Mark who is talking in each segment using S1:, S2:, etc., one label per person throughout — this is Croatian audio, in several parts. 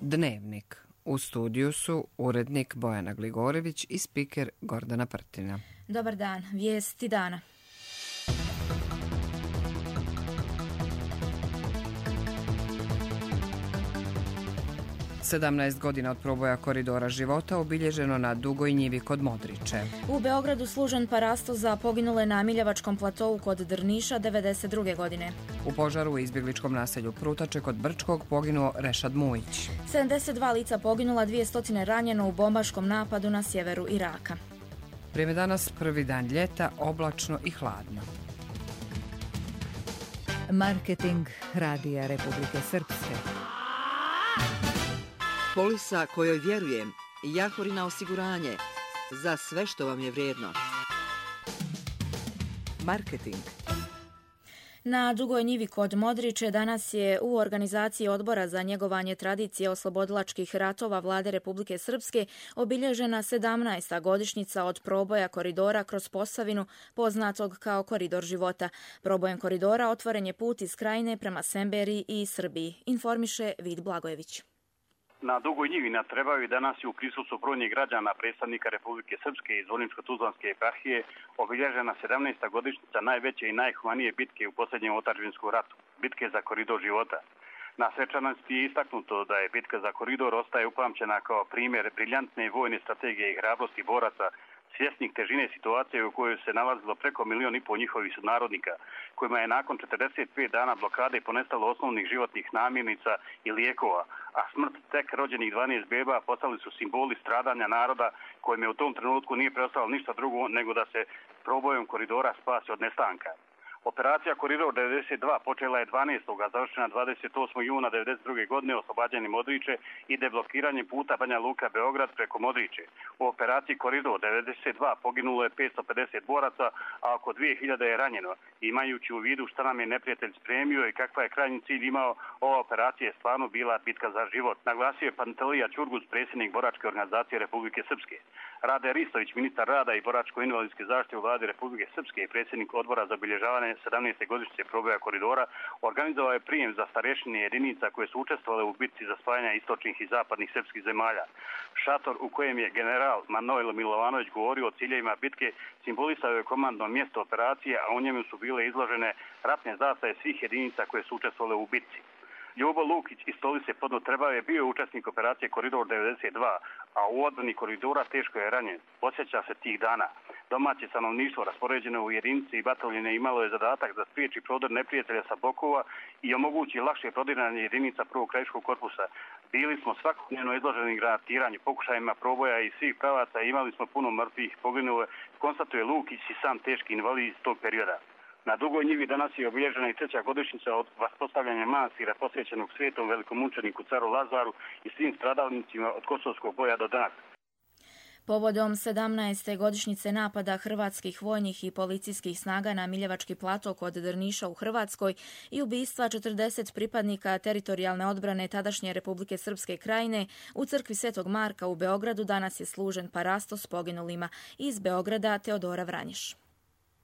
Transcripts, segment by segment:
S1: Dnevnik. U studiju su urednik Bojana Gligorević i spiker Gordana Prtina.
S2: Dobar dan, vijesti dana.
S1: Sedamnaest godina od proboja koridora života obilježeno na Dugoj njivi kod Modriče.
S2: U Beogradu služen parasto za poginule na Miljevačkom platovu kod Drniša 1992. godine.
S1: U požaru u izbjegličkom naselju Prutače kod Brčkog poginuo Rešad Mujić.
S2: 72 lica poginula, 200 ranjeno u bombaškom napadu na sjeveru Iraka.
S1: Vrijeme danas, prvi dan ljeta, oblačno i hladno.
S3: Marketing Radija Republike Srpske.
S4: Polisa kojoj vjerujem, Jahorina osiguranje, za sve što vam je vrijedno. Marketing.
S2: Na Dugoj njivi kod Modriče danas je u organizaciji Odbora za njegovanje tradicije oslobodilačkih ratova Vlade Republike Srpske obilježena 17. godišnjica od proboja koridora kroz Posavinu, poznatog kao Koridor života. Probojem koridora otvoren je put iz Krajine prema Semberiji i Srbiji, informiše Vid Blagojević.
S5: Na Dugoj njivi na Trebavi danas je u prisustvu brojnih građana, predstavnika Republike Srpske i Zvorničko-Tuzlanske eparhije obilježena 17. godišnjica najveće i najhumanije bitke u posljednjem otadžbinskom ratu, bitke za koridor života. Na svečanosti je istaknuto da je bitka za koridor ostaje upamćena kao primjer briljantne vojne strategije i hrabrosti boraca, svjesnih težine situacije u kojoj se nalazilo preko 1,5 miliona njihovih sunarodnika, kojima je nakon 45 dana blokade ponestalo osnovnih životnih namirnica i lijekova, a smrt tek rođenih 12 beba postali su simboli stradanja naroda kojim je u tom trenutku nije preostalo ništa drugo nego da se probojem koridora spasi od nestanka. Operacija Koridor 92 počela je 12. a završena 28. juna 1992. godine oslobađanjem Modriče i deblokiranjem puta Banja Luka Beograd preko Modriče. U operaciji Koridor 92 poginulo je 550 boraca, a oko 2000 je ranjeno. Imajući u vidu šta nam je neprijatelj spremio i kakva je krajnji cilj imao, ova operacija je stvarno bila bitka za život, naglasio je Pantelija Ćurgus, predsjednik boračke organizacije Republike Srpske. Rade Ristović, ministar rada i boračko-invalidske zaštite u Vladi Republike Srpske i predsjednik odbora za obilježavanje 17. godišnjice proboja koridora, organizovao je prijem za starješine jedinica koje su učestvovale u bitci za spajanje istočnih i zapadnih srpskih zemalja. Šator u kojem je general Manojlo Milovanović govorio o ciljevima bitke simbolisao je komandno mjesto operacije, a u njemu su bile izložene ratne zastave svih jedinica koje su učestvovale u bitci. Ljubo Lukić iz Stolice pod Trebave bio je učesnik operacije Koridor 92, a u odbrani koridora teško je ranjen. Osjeća se tih dana. Domaće stanovništvo raspoređeno u jedinice i bataljone imalo je zadatak da spriječi prodor neprijatelja sa bokova i omogući lakše prodiranje jedinica prvog krajiškog korpusa. Bili smo svakodnevno izloženi granatiranju, pokušajima proboja i svih pravaca i imali smo puno mrtvih, poginulo, konstatuje Lukić i sam teški invalid iz tog perioda. Na Dugoj njivi danas je obilježena i 3. godišnjica od vaspostavljanja manastira posvećenog svetom velikomučeniku caru Lazaru i svim stradalnicima od Kosovskog boja do danas.
S2: Povodom 17. godišnjice napada hrvatskih vojnih i policijskih snaga na Miljevački plato kod Drniša u Hrvatskoj i ubistva 40 pripadnika teritorijalne odbrane tadašnje Republike Srpske Krajine, u crkvi Svetog Marka u Beogradu danas je služen parasto s poginulima. Iz Beograda Teodora Vranješ.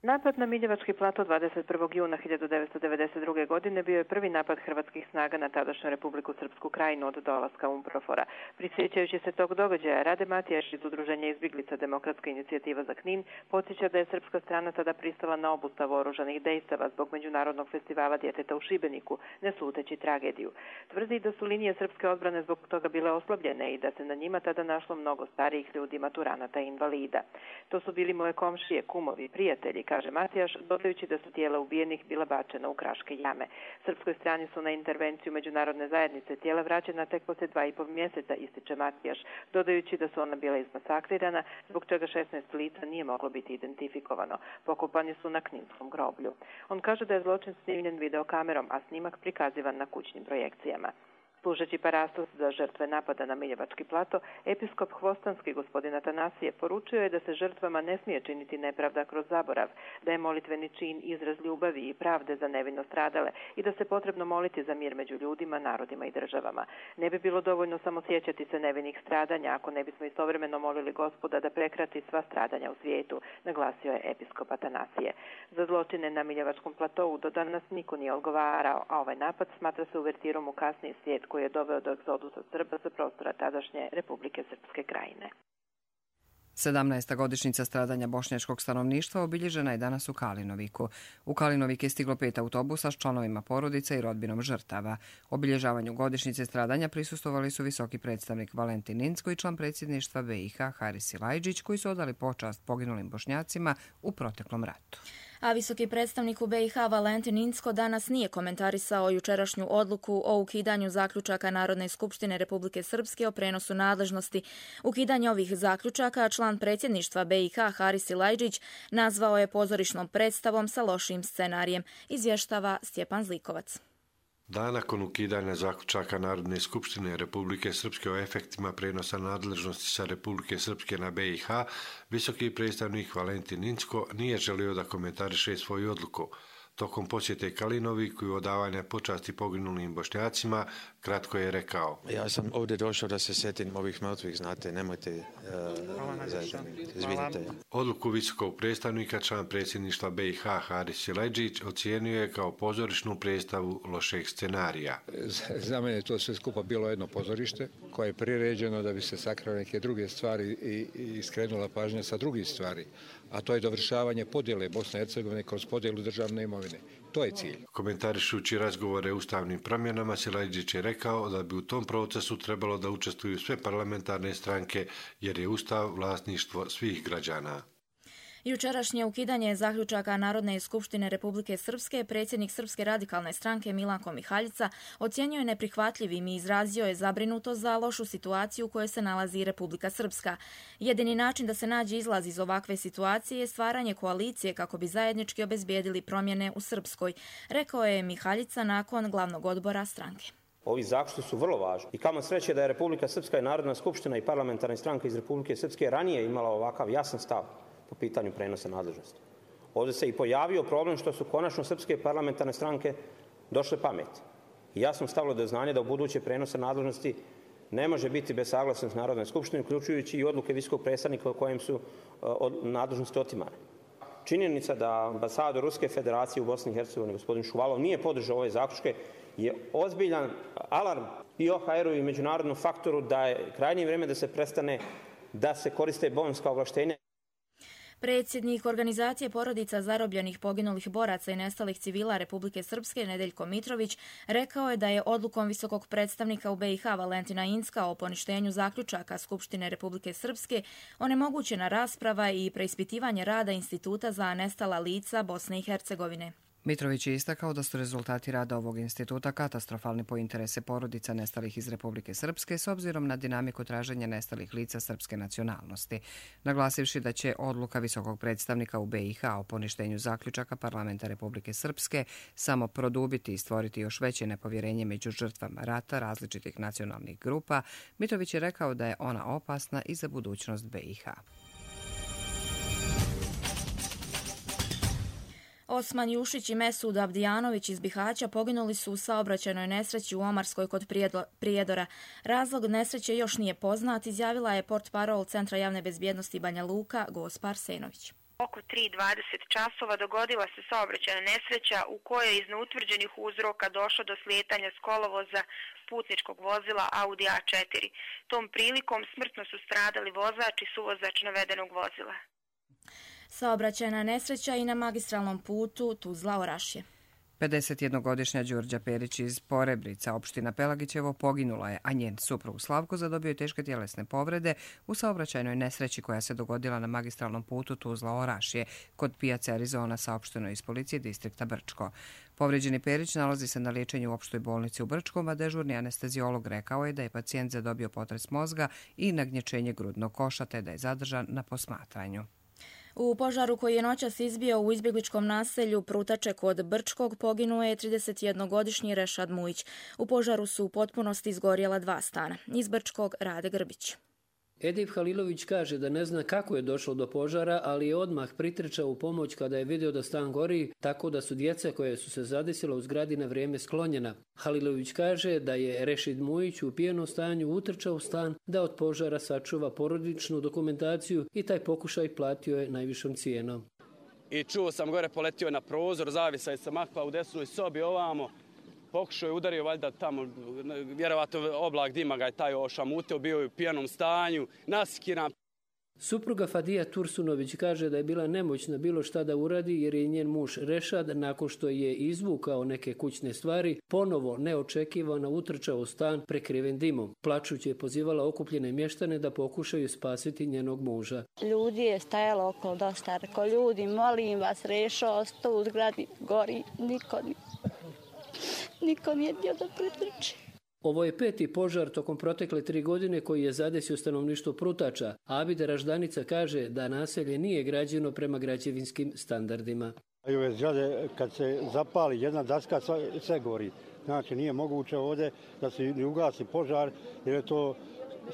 S6: Napad na Miljevački plato 21. juna 1992. godine bio je prvi napad hrvatskih snaga na tadašnju Republiku Srpsku Krajinu od dolaska UNPROFOR-a. Prisjećajući se tog događaja, Rade Matijaš iz Udruženja izbjeglica Demokratska inicijativa za Knin podsjeća da je srpska strana tada pristala na obustavu oružanih dejstava zbog Međunarodnog festivala djeteta u Šibeniku, ne sluteći tragediju. Tvrdi da su linije srpske odbrane zbog toga bile oslabljene i da se na njima tada našlo mnogo starijih ljudi, maturanata i invalida. To su bili moje komšije, kumovi, prijatelji, kaže Matijaš, dodajući da su tijela ubijenih bila bačena u kraške jame. Srpskoj strani su na intervenciju međunarodne zajednice tijela vraćena tek poslije 2,5 mjeseca, ističe Matijaš, dodajući da su ona bila izmasakrirana, zbog čega 16 lica nije moglo biti identifikovano. Pokopani su na Kninskom groblju. On kaže da je zločin snimljen videokamerom, a snimak prikazivan na kućnim projekcijama. Služeći parastos za žrtve napada na Miljevački plato, episkop Hvostanski gospodin Atanasije poručio je da se žrtvama ne smije činiti nepravda kroz zaborav, da je molitveni čin izraz ljubavi i pravde za nevino stradale i da se potrebno moliti za mir među ljudima, narodima i državama. Ne bi bilo dovoljno samo sjećati se nevinih stradanja ako ne bismo istovremeno molili Gospoda da prekrati sva stradanja u svijetu, naglasio je episkop Atanasije. Za zločine na Miljevačkom platovu do danas niko nije odgovarao, a ovaj napad smatra se uvertirom u kasniji svijet koji je doveo do egzodusa Srba sa prostora tadašnje Republike Srpske Krajine.
S1: 17. godišnjica stradanja bošnjačkog stanovništva obilježena je danas u Kalinoviku. U Kalinovik je stiglo 5 autobusa s članovima porodica i rodbinom žrtava. Obilježavanju godišnjice stradanja prisustvovali su visoki predstavnik Valentin Incko i član predsjedništva BiH Haris Silajdžić, koji su odali počast poginulim Bošnjacima u proteklom ratu.
S2: A visoki predstavnik u BiH Valentin Incko danas nije komentarisao jučerašnju odluku o ukidanju zaključaka Narodne skupštine Republike Srpske o prenosu nadležnosti. Ukidanje ovih zaključaka član predsjedništva BiH Haris Silajdžić nazvao je pozorišnom predstavom sa lošim scenarijem, izvještava Stjepan Zlikovac.
S7: Dan nakon ukidanja zaključaka Narodne skupštine Republike Srpske o efektima prenosa nadležnosti sa Republike Srpske na BiH, visoki predstavnik Valentin Incko nije želio da komentariše svoju odluku. Tokom posjete Kalinoviku i odavanja počasti poginulim Bošnjacima, kratko je rekao:
S8: Ja sam ovdje došao da se sjetim ovih mrtvih, znate, nemojte izvinite.
S7: Odluku visokog predstavnika član predsjedništva BiH Haris Silajdžić ocijenio je kao pozorišnu predstavu lošeg scenarija.
S9: Za mene je to sve skupa bilo jedno pozorište koje je priređeno da bi se sakrale neke druge stvari i skrenula pažnja sa drugih stvari, a to je dovršavanje podjele Bosne i Hercegovine kroz podjelu državne imovine. To je cilj.
S7: Komentarišući razgovore o ustavnim promjenama, Silajdžić je rekao da bi u tom procesu trebalo da učestvuju sve parlamentarne stranke, jer je ustav vlasništvo svih građana.
S2: Jučerašnje ukidanje zaključaka Narodne skupštine Republike Srpske predsjednik Srpske radikalne stranke Milanko Mihaljica ocijenio je neprihvatljivim i izrazio je zabrinutost za lošu situaciju u kojoj se nalazi Republika Srpska. Jedini način da se nađe izlaz iz ovakve situacije je stvaranje koalicije kako bi zajednički obezbijedili promjene u Srpskoj, rekao je Mihaljica nakon glavnog odbora stranke.
S10: Ovi zaključci su vrlo važni i kamo sreće da je Republika Srpska i Narodna skupština i parlamentarne stranke iz Republike Srpske ranije imala ovakav jasan stav po pitanju prenosa nadležnosti. Ovdje se i pojavio problem što su konačno srpske parlamentarne stranke došle pameti. I jasno stavilo do znanja da u buduće prenosa nadležnosti ne može biti bez saglasnosti Narodne skupštine, uključujući i odluke visokog predstavnika o kojem su nadležnosti otimane. Činjenica da ambasador Ruske federacije u Bosni i Hercegovini, gospodin Šuvalov, nije podržao ove zaključke je ozbiljan alarm i OHR-u i međunarodnom faktoru da je krajnje vrijeme da se prestane da se koriste bonska ovlaštenja.
S2: Predsjednik organizacije porodica zarobljenih poginulih boraca i nestalih civila Republike Srpske Nedeljko Mitrović rekao je da je odlukom visokog predstavnika u BiH Valentina Incka o poništenju zaključaka Skupštine Republike Srpske onemogućena rasprava i preispitivanje rada Instituta za nestala lica Bosne i Hercegovine.
S1: Mitrović je istakao da su rezultati rada ovog instituta katastrofalni po interese porodica nestalih iz Republike Srpske s obzirom na dinamiku traženja nestalih lica srpske nacionalnosti, naglasivši da će odluka visokog predstavnika u BiH o poništenju zaključaka parlamenta Republike Srpske samo produbiti i stvoriti još veće nepovjerenje među žrtvama rata različitih nacionalnih grupa. Mitrović je rekao da je ona opasna i za budućnost BiH.
S2: Osman Jušić i Mesud Abdijanović iz Bihaća poginuli su u saobraćajnoj nesreći u Omarskoj kod Prijedora. Razlog nesreće još nije poznat, izjavila je portparol Centra javne bezbjednosti Banja Luka Gospa Arsenović.
S11: Oko 3:20 časova dogodila se saobraćajna nesreća u kojoj je iz neutvrđenih uzroka došlo do slijetanja s kolovoza putničkog vozila Audi A4. Tom prilikom smrtno su stradali vozač i suvozač navedenog vozila.
S2: Saobraćajna nesreća i na magistralnom putu Tuzla-Orašje.
S1: 51-godišnja Đurđa Perić iz Porebrica, opština Pelagićevo, poginula je, a njen suprug Slavko zadobio je teške tjelesne povrede u saobraćajnoj nesreći koja se dogodila na magistralnom putu Tuzla-Orašje kod pijace Arizona, saopšteno iz policije distrikta Brčko. Povređeni Perić nalazi se na liječenju u opštoj bolnici u Brčkom, a dežurni anesteziolog rekao je da je pacijent zadobio potres mozga i nagnječenje grudnog koša, te da je zadržan na posmatranju.
S2: U požaru koji je noćas izbio u izbjegličkom naselju Prutače kod Brčkog poginuo je 31-godišnji Rešad Mujić. U požaru su u potpunosti izgorjela 2 stana. Iz Brčkog Rade Grbić.
S12: Edip Halilović kaže da ne zna kako je došlo do požara, ali je odmah pritrčao u pomoć kada je vidio da stan gori, tako da su djeca koje su se zadesila u zgradi na vrijeme sklonjena. Halilović kaže da je Rešid Mujić u pijenom stanju utrčao u stan da od požara sačuva porodičnu dokumentaciju i taj pokušaj platio je najvišom cijenom.
S13: I čuo sam gore, poletio na prozor, zavisao sam makla u desnoj sobi ovamo Pokušao je udario valjda tamo, vjerovatno oblak dima ga je taj ošamutio, bio je u pijanom stanju, nasikiran.
S12: Supruga Fadija Tursunović kaže da je bila nemoćna bilo šta da uradi jer je njen muž Rešad, nakon što je izvukao neke kućne stvari, ponovo neočekivano utrčao u stan prekriven dimom. Plačući je pozivala okupljene mještane da pokušaju spasiti njenog muža.
S14: Ljudi je stajalo okolo dosta, rekao ljudi, molim vas, Rešo, ostao u zgradi, gori, niko nije htio da pretrči.
S12: Ovo je 5. požar tokom protekle 3 godine koji je zadesio stanovništvo Prutača. Abida Raždanica kaže da naselje nije građeno prema građevinskim standardima.
S15: I ove zgrade, kad se zapali jedna daska, sve gori. Znači, nije moguće ovdje da se ne ugasi požar, jer je to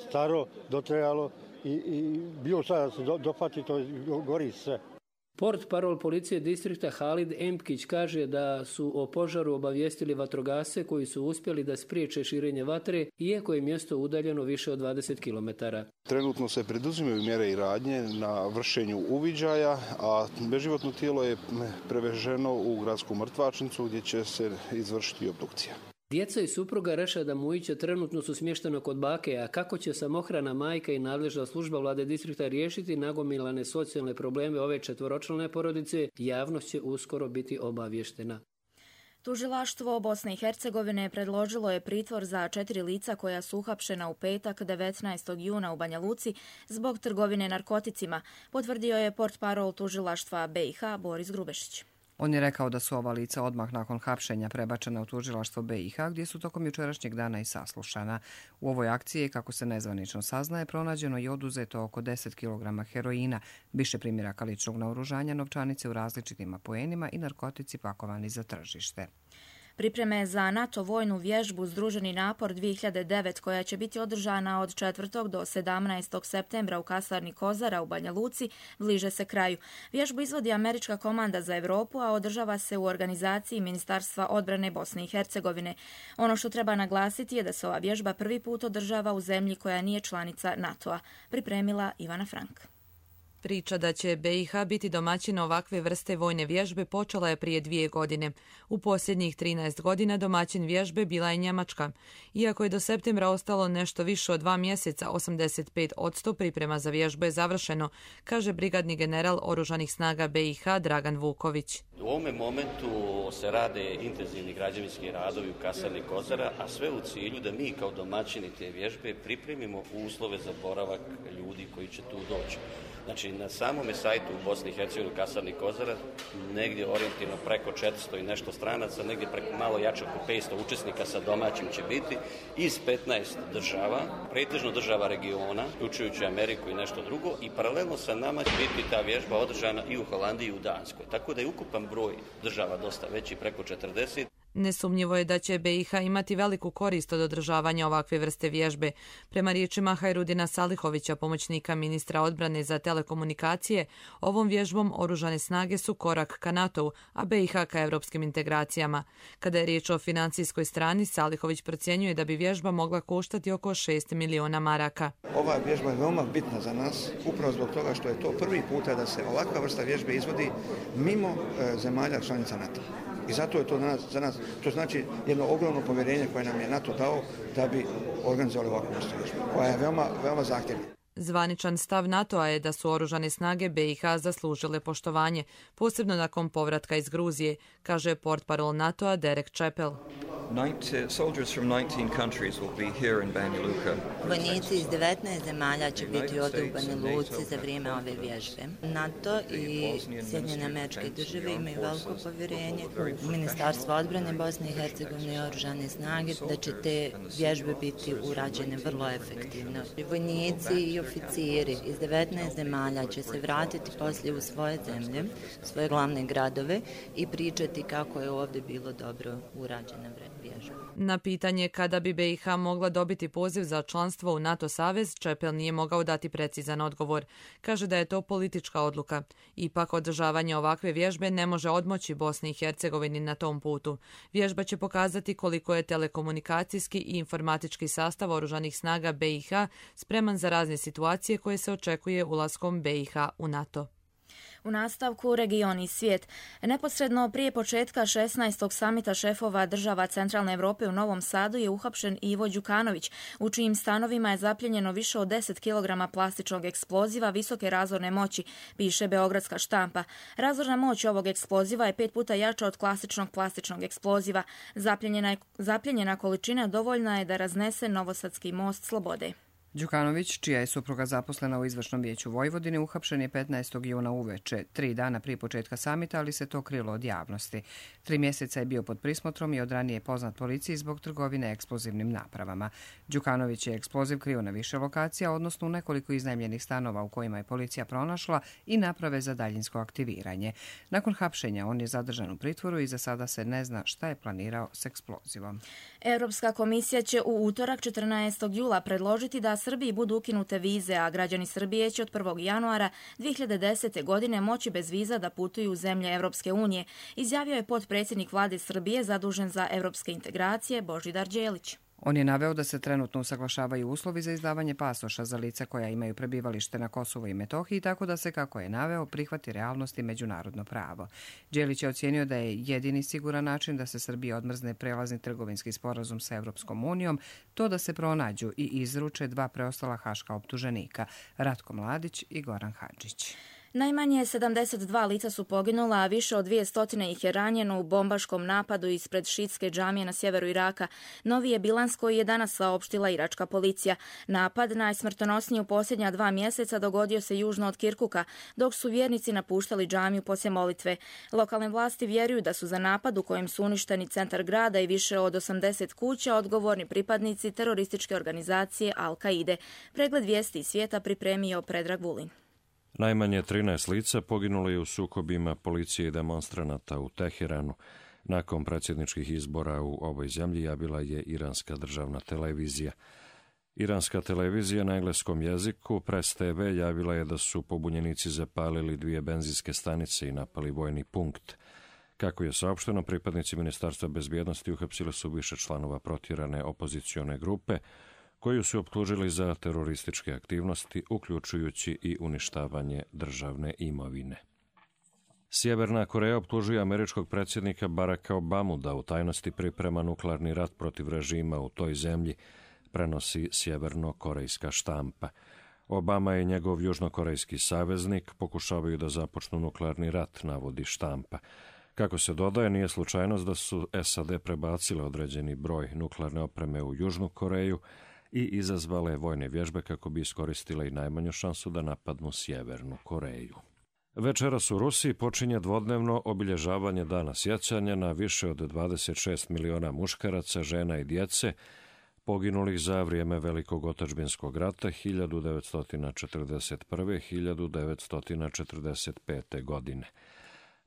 S15: staro, dotrajalo i bilo šta da se dopati, to gori sve.
S12: Port parol policije distrikta Halid Empkić kaže da su o požaru obavijestili vatrogasce koji su uspjeli da spriječe širenje vatre, iako je mjesto udaljeno više od 20 km.
S16: Trenutno se preduzimaju mjere i radnje na vršenju uviđaja, a beživotno tijelo je preveženo u gradsku mrtvačnicu gdje će se izvršiti obdukcija.
S12: Djeca i supruga Rešada Mujića trenutno su smješteno kod bake, a kako će samohrana majka i nadležna služba vlade distrikta riješiti nagomilane socijalne probleme ove 4-člane porodice, javnost će uskoro biti obavještena.
S2: Tužilaštvo Bosne i Hercegovine predložilo je pritvor za 4 lica koja su uhapšena u petak 19. juna u Banja Luci zbog trgovine narkoticima, potvrdio je portparol tužilaštva BiH Boris Grubešić.
S1: On je rekao da su ova lica odmah nakon hapšenja prebačena u tužilaštvo BiH, gdje su tokom jučerašnjeg dana i saslušana. U ovoj akciji, kako se nezvanično saznaje, pronađeno i oduzeto oko 10 kg heroina, više primjeraka ličnog naoružanja, novčanice u različitim apoenima i narkotici pakovani za tržište.
S2: Pripreme za NATO vojnu vježbu Združeni napor 2009 koja će biti održana od 4. do 17. septembra u kasarni Kozara u Banja Luci bliže se kraju. Vježbu izvodi Američka komanda za Europu, a održava se u organizaciji Ministarstva odbrane Bosne i Hercegovine. Ono što treba naglasiti je da se ova vježba prvi put održava u zemlji koja nije članica NATO-a. Pripremila Ivana Frank.
S17: Priča da će BiH biti domaćin ovakve vrste vojne vježbe počela je prije 2 godine. U posljednjih 13 godina domaćin vježbe bila je Njemačka. Iako je do septembra ostalo nešto više od 2 mjeseca, 85% priprema za vježbu je završeno, kaže brigadni general Oružanih snaga BiH Dragan Vuković.
S18: U ovome momentu se rade intenzivni građevinski radovi u kasarni Kozara, a sve u cilju da mi kao domaćini te vježbe pripremimo uslove za boravak ljudi koji će tu doći. Znači, na samome sajtu u Bosni i Hercegovini kasarni Kozara negdje orijentirano preko 400 i nešto stranaca, negdje preko malo jače oko 500 učesnika sa domaćim će biti iz 15 država, pretežno država regiona, uključujući Ameriku i nešto drugo, i paralelno sa nama će biti ta vježba održana i u Holandiji i u Danskoj. Tako da je ukupan broj država dosta veći, preko 40.
S17: Nesumnjivo je da će BiH imati veliku korist od održavanja ovakve vrste vježbe. Prema riječima Hajrudina Salihovića, pomoćnika ministra odbrane za telekomunikacije, ovom vježbom oružane snage su korak ka NATO-u, a BiH ka evropskim integracijama. Kada je riječ o financijskoj strani, Salihović procjenjuje da bi vježba mogla koštati oko 6 miliona maraka.
S19: Ova vježba je veoma bitna za nas, upravo zbog toga što je to prvi puta da se ovakva vrsta vježbe izvodi mimo zemalja članica NATO. I zato je to za nas, to znači jedno ogromno povjerenje koje nam je NATO dao da bi organizovali ovakvu vrstu vježbe, koja je veoma zahtjevna.
S17: Zvaničan stav NATO-a je da su oružane snage BiH zaslužile poštovanje, posebno nakon povratka iz Gruzije, kaže portparol NATO-a Derek Chappell.
S20: Vojnici iz 19 zemalja će biti ovdje u Banja Luci za vrijeme ove vježbe. NATO i Sjedinjene Američke Države imaju veliko povjerenje u Ministarstvo odbrane Bosne i Hercegovine i oružane snage da će te vježbe biti urađene vrlo efektivno. Vojnici i oficiri iz 19 zemalja će se vratiti poslije u svoje zemlje, svoje glavne gradove i pričati kako je ovdje bilo dobro urađena vježba.
S17: Na pitanje kada bi BiH mogla dobiti poziv za članstvo u NATO savez, Chappell nije mogao dati precizan odgovor. Kaže da je to politička odluka. Ipak održavanje ovakve vježbe ne može odmoći Bosni i Hercegovini na tom putu. Vježba će pokazati koliko je telekomunikacijski i informatički sastav oružanih snaga BiH spreman za razne situacije koje se očekuje ulaskom BiH u NATO.
S2: U nastavku region i svijet. Neposredno prije početka 16. samita šefova država Centralne Evrope u Novom Sadu je uhapšen Ivo Đukanović, u čijim stanovima je zapljenjeno više od 10 kg plastičnog eksploziva visoke razorne moći, piše beogradska štampa. Razorna moć ovog eksploziva je 5 puta jača od klasičnog plastičnog eksploziva. Zapljenjena količina dovoljna je da raznese Novosadski most Slobode.
S1: Đukanović, čija je supruga zaposlena u Izvršnom vijeću Vojvodine, uhapšen je 15. juna uveče, 3 dana prije početka samita, ali se to krilo od javnosti. 3 mjeseca je bio pod prismotrom i od ranije poznat policiji zbog trgovine eksplozivnim napravama. Đukanović je eksploziv krio na više lokacija, odnosno u nekoliko iznajmljenih stanova u kojima je policija pronašla i naprave za daljinsko aktiviranje. Nakon hapšenja on je zadržan u pritvoru i za sada se ne zna šta je planirao s eksplozivom.
S2: Europska komisija će u utorak 14. jula predložiti da Srbiji budu ukinute vize, a građani Srbije će od 1. januara 2010. godine moći bez viza da putuju u zemlje Europske unije, izjavio je potpredsjednik vlade Srbije zadužen za europske integracije Božidar Đelić.
S1: On je naveo da se trenutno usaglašavaju uslovi za izdavanje pasoša za lica koja imaju prebivalište na Kosovu i Metohiji, tako da se, kako je naveo, prihvati realnost i međunarodno pravo. Đelić je ocijenio da je jedini siguran način da se Srbiji odmrzne prelazni trgovinski sporazum sa Europskom unijom to da se pronađu i izruče 2 preostala haška optuženika, Ratko Mladić i Goran Hadžić.
S2: Najmanje 72 lica su poginula, a više od 200 ih je ranjeno u bombaškom napadu ispred šiitske džamije na sjeveru Iraka. Novi je bilans koji je danas saopštila iračka policija. Napad, najsmrtonosniji u posljednja 2 mjeseca, dogodio se južno od Kirkuka, dok su vjernici napuštali džamiju poslije molitve. Lokalne vlasti vjeruju da su za napad u kojem su uništeni centar grada i više od 80 kuća odgovorni pripadnici terorističke organizacije Al-Kaide. Pregled vijesti iz svijeta pripremio Predrag Vulin.
S21: Najmanje 13 lica poginulo je u sukobima policije i demonstranata u Teheranu. Nakon predsjedničkih izbora u ovoj zemlji javila je iranska državna televizija. Iranska televizija na engleskom jeziku, Press TV, javila je da su pobunjenici zapalili 2 benzinske stanice i napali vojni punkt. Kako je saopšteno, pripadnici Ministarstva bezbjednosti uhapsili su više članova protjerane opozicione grupe, koju su optužili za terorističke aktivnosti, uključujući i uništavanje državne imovine. Sjeverna Koreja optužuje američkog predsjednika Baracka Obamu da u tajnosti priprema nuklearni rat protiv režima u toj zemlji, prenosi sjeverno-korejska štampa. Obama i njegov južnokorejski saveznik pokušavaju da započnu nuklearni rat, navodi štampa. Kako se dodaje, nije slučajnost da su SAD prebacile određeni broj nuklearne opreme u Južnu Koreju i izazvale vojne vježbe kako bi iskoristile i najmanju šansu da napadnu Sjevernu Koreju. Večeras u Rusiji počinje dvodnevno obilježavanje Dana sjećanja na više od 26 miliona muškaraca, žena i djece poginulih za vrijeme Velikog otadžbinskog rata 1941-1945. godine.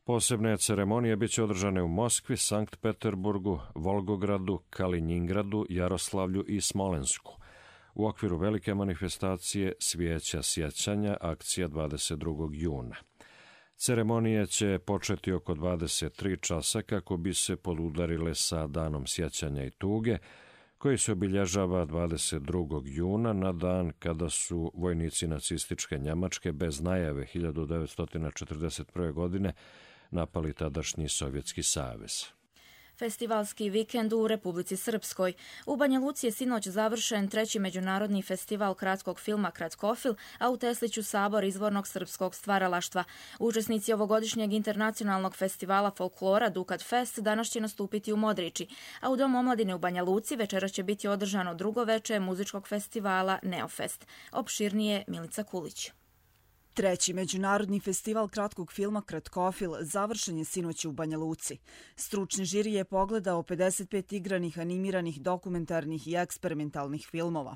S21: Posebne ceremonije biće održane u Moskvi, Sankt Peterburgu, Volgogradu, Kalinjingradu, Jaroslavlju i Smolensku. U okviru velike manifestacije Svijeća sjećanja, akcija 22. juna. Ceremonije će početi oko 23 časa kako bi se podudarile sa Danom sjećanja i tuge, koji se obilježava 22. juna na dan kada su vojnici nacističke Njemačke bez najave 1941. godine napali tadašnji Sovjetski savez.
S2: Festivalski vikend u Republici Srpskoj. U Banja Luci je sinoć završen 3. međunarodni festival kratkog filma Kratkofil, a u Tesliću sabor izvornog srpskog stvaralaštva. Učesnici ovogodišnjeg internacionalnog festivala folklora Dukat Fest danas će nastupiti u Modriči, a u Domu omladine u Banja Luci večeras će biti održano drugo veče muzičkog festivala Neofest. Opširnije Milica Kulić.
S22: 3. međunarodni festival kratkog filma Kratkofil završen je sinoć u Banja Luci. Stručni žiri je pogledao 55 igranih, animiranih, dokumentarnih i eksperimentalnih filmova.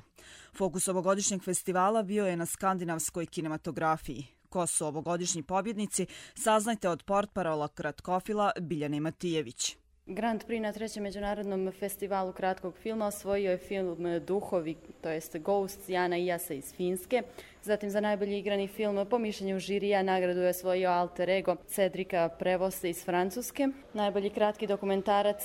S22: Fokus ovogodišnjeg festivala bio je na skandinavskoj kinematografiji. Ko su ovogodišnji pobjednici, saznajte od portparola Kratkofila Biljane Matijević.
S23: Grand Prix na 3. međunarodnom festivalu kratkog filma osvojio je film Duhovi, to jest Ghosts, Jana Ijasa iz Finske. Zatim za najbolji igrani film po mišljenju žirija nagradu je osvojio alter ego Cedrika Prevosta iz Francuske. Najbolji kratki dokumentarac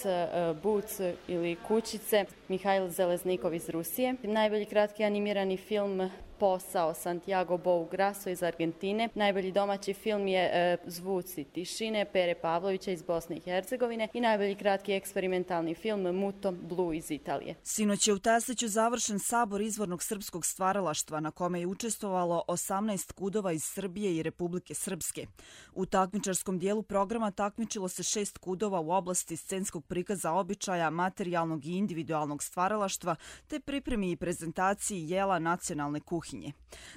S23: Buc ili Kućice Mihajl Zeleznikov iz Rusije. Najbolji kratki animirani film Posao Santiago Bou Grasso iz Argentine. Najbolji domaći film je Zvuci tišine Pere Pavlovića iz Bosne i Hercegovine i najbolji kratki eksperimentalni film Muto Blue iz Italije.
S22: Sinoć je u Tesliću završen sabor izvornog srpskog stvaralaštva na kome je učestvovalo 18 kudova iz Srbije i Republike Srpske. U takmičarskom dijelu programa takmičilo se 6 kudova u oblasti scenskog prikaza običaja, materijalnog i individualnog stvaralaštva te pripremi i prezentaciji jela nacionalne kuhinje.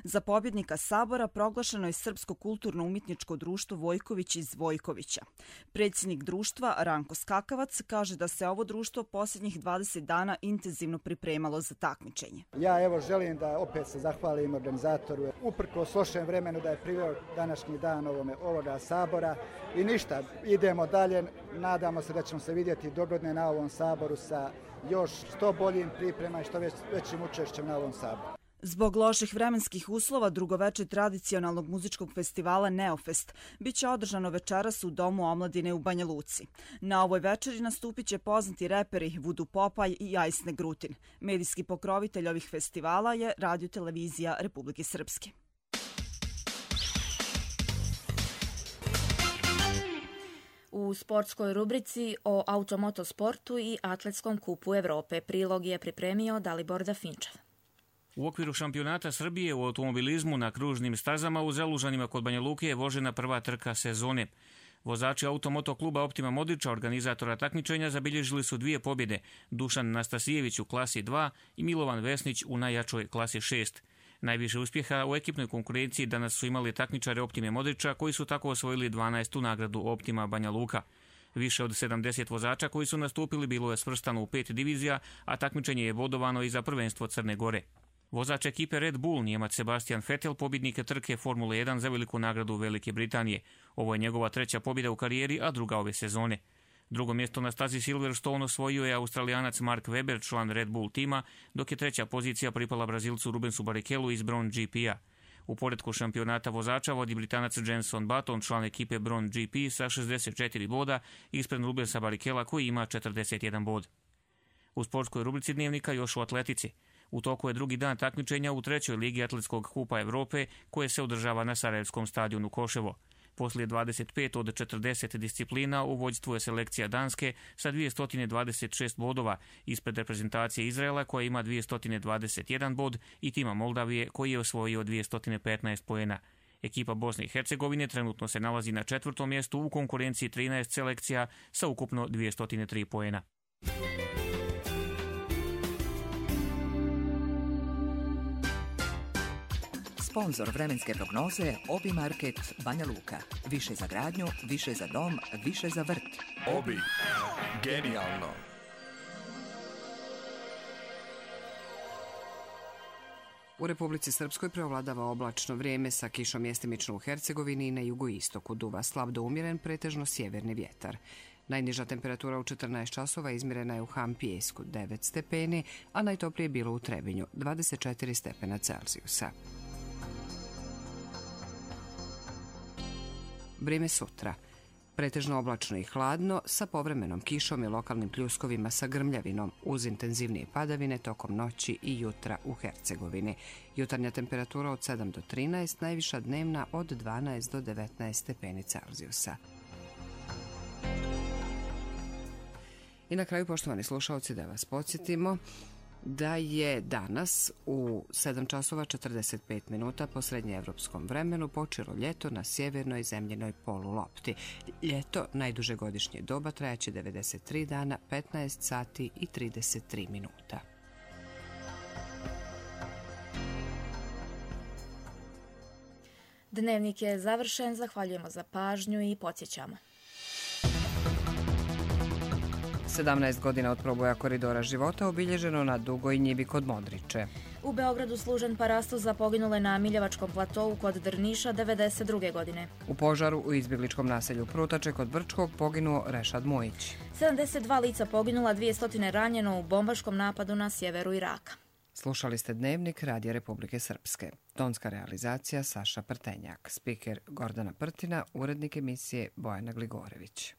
S22: Za pobjednika sabora proglašeno je Srpsko kulturno-umjetničko društvo Vojković iz Vojkovića. Predsjednik društva Ranko Skakavac kaže da se ovo društvo posljednjih 20 dana intenzivno pripremalo za takmičenje.
S3: Ja želim da opet se zahvalim organizatoru uprkos lošem vremenu da je priveo današnji dan ovoga sabora i ništa, idemo dalje, nadamo se da ćemo se vidjeti dogodine na ovom saboru sa još što boljim priprema i što većim učešćem na ovom saboru.
S22: Zbog loših vremenskih uslova drugo veče tradicionalnog muzičkog festivala Neofest biće održano večeras u Domu omladine u Banja Luci. Na ovoj večeri nastupit će poznati reperi Vudu Popaj i Ajsne Grutin. Medijski pokrovitelj ovih festivala je Radio-televizija Republike Srpske.
S2: U sportskoj rubrici o automotosportu i atletskom kupu Evrope prilog je pripremio Dalibor Dafinčev.
S4: U okviru šampionata Srbije u automobilizmu na kružnim stazama u Zelužanima kod Banja Luke je vožena prva trka sezone. Vozači automoto kluba Optima Modrića, organizatora takmičenja, zabilježili su 2 pobjede, Dušan Nastasijević u klasi 2 i Milovan Vesnić u najjačoj klasi 6. Najviše uspjeha u ekipnoj konkurenciji danas su imali takmičare Optime Modrića koji su tako osvojili 12. nagradu Optima Banja Luka. Više od 70 vozača koji su nastupili bilo je svrstano u 5 divizija, a takmičenje je bodovano i za prvenstvo Crne Gore. Vozač ekipe Red Bull, Njemac Sebastian Vettel, pobjednik trke Formule 1 za veliku nagradu Velike Britanije. Ovo je njegova 3. pobjeda u karijeri, a druga ove sezone. Drugo mjesto na stazi Silverstone osvojio je Australijanac Mark Webber, član Red Bull tima, dok je 3. pozicija pripala Brazilcu Rubensu Barrichellu iz Brown GP-a. U poretku šampionata vozača vodi Britanac Jenson Button, član ekipe Brown GP sa 64 boda, ispred Rubensa Barricella koji ima 41 bod. U sportskoj rubrici dnevnika još u atletici. U toku je drugi dan takmičenja u 3. ligi atletskog kupa Evrope koje se održava na Sarajevskom stadionu Koševo. Poslije 25 od 40 disciplina u vođstvu je selekcija Danske sa 226 bodova, ispred reprezentacije Izraela koja ima 221 bod i tima Moldavije koji je osvojio 215 poena. Ekipa Bosne i Hercegovine trenutno se nalazi na 4. mjestu u konkurenciji 13 selekcija sa ukupno 203 poena.
S5: Sponzor vremenske prognoze Obi Market Banja Luka. Više za gradnju, više za dom, više za vrt.
S24: Obi. Genijalno.
S1: U Republici Srpskoj preovladava oblačno vrijeme sa kišom mjestimično u Hercegovini i na jugoistoku. Duva slab do umjeren, pretežno sjeverni vjetar. Najniža temperatura u 14 časova izmjerena je u Hampijesku 9 stepeni, a najtoplije bilo u Trebinju 24 stepena Celzijusa. Vrijeme sutra. Pretežno oblačno i hladno, sa povremenom kišom i lokalnim pljuskovima sa grmljavinom, uz intenzivnije padavine tokom noći i jutra u Hercegovini. Jutarnja temperatura od 7 do 13, najviša dnevna od 12 do 19 stepeni Celzijusa. I na kraju, poštovani slušalci, da vas podsjetimo da je danas u 7 časova 45 minuta po srednjeevropskom vremenu počelo ljeto na sjevernoj zemljenoj polulopti. Ljeto, najduže godišnje doba, trajaće 93 dana, 15 sati i 33 minuta.
S2: Dnevnik je završen, zahvaljujemo za pažnju i podsjećamo.
S1: 17 godina od proboja koridora života obilježeno na Dugoj njivi kod Modriče.
S2: U Beogradu služen parastu za poginule na Miljevačkom platovu kod Drniša 92. godine.
S1: U požaru u izbjegličkom naselju Prutače kod Brčkog poginuo Rešad Mujić.
S2: 72 lica poginula, 200 ranjeno u bombaškom napadu na sjeveru Iraka.
S1: Slušali ste Dnevnik Radija Republike Srpske. Tonska realizacija Saša Prtenjak, spiker Gordana Prtina, urednik emisije Bojana Gligorević.